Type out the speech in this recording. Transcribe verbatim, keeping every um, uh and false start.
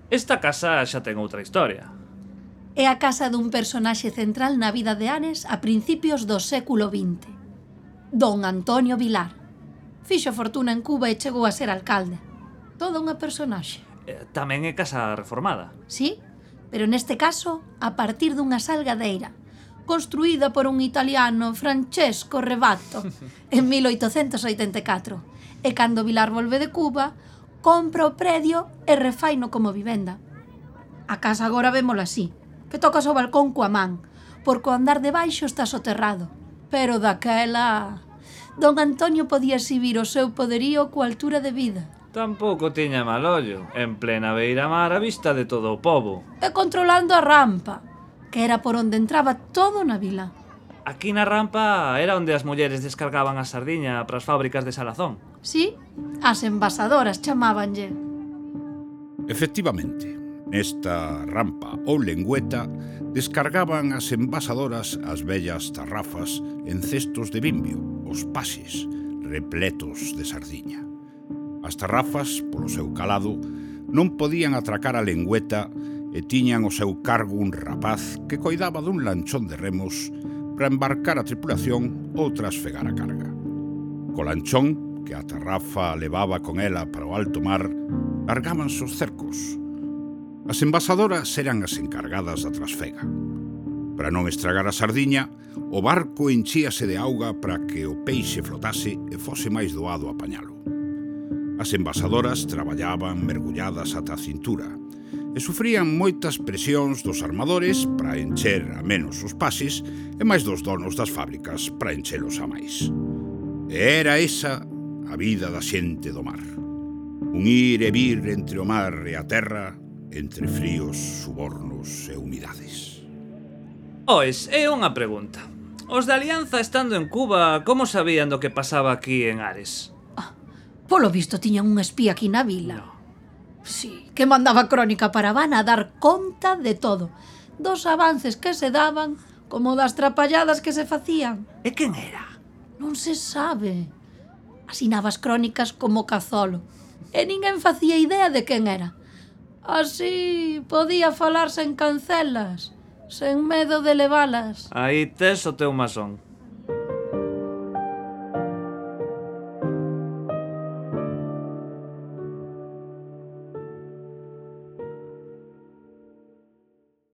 Esta casa xa ten outra historia. É a casa dun personaxe central na vida de Ares a principios do século vinte. Don Antonio Vilar. Fixo fortuna en Cuba e chegou a ser alcalde. Toda unha personaxe. Eh, Tamén é casa reformada. Sí, pero neste caso a partir dunha salgadeira, construída por un italiano, Francesco Rebatto, en mil oitocentos oitenta e catro. E cando Vilar volve de Cuba, compra o predio e refaino como vivenda. A casa agora vémola así, que tocas o balcón coa man, porque o andar de baixo está soterrado. Pero daquela, don Antonio podía exhibir o seu poderío coa altura de vida. Tampouco tiña mal ollo, en plena beira-mar a vista de todo o pobo. E controlando a rampa, que era por onde entraba todo na vila. Aquí na rampa era onde as mulleres descargaban a sardiña para as fábricas de salazón. Sí, as envasadoras chamábanlle. Efectivamente, nesta rampa ou lengüeta descargaban as envasadoras as vellas tarrafas en cestos de bimbio, os pases, repletos de sardiña. As tarrafas, polo seu calado, non podían atracar a lengüeta e tiñan o seu cargo un rapaz que coidaba dun lanchón de remos para embarcar a tripulación ou trasfegar a carga. Co lanchón, que a tarrafa levaba con ela para o alto mar, largábanse os cercos. As envasadoras eran as encargadas da trasfega. Para non estragar a sardiña, o barco enchíase de auga para que o peixe flotase e fose máis doado apañalo. As envasadoras traballaban mergulladas ata a cintura e sufrían moitas presións dos armadores para encher a menos os pases e máis dos donos das fábricas para enchelos a máis. E era esa a vida da xente do mar. Un ir e vir entre o mar e a terra, entre fríos, subornos e humidades. Ois, é unha pregunta. Os de Alianza estando en Cuba, como sabían do que pasaba aquí en Ares? Polo visto tiñan un espía aquí na vila. Sí, que mandaba crónica para Habana a dar conta de todo, dos avances que se daban como das trapalladas que se facían. E quen era? Non se sabe. Asinaba as crónicas como Cazolo e ninguén facía idea de quen era. Así podía falarse en cancelas, sen medo de levalas. Aí tes o teu masón.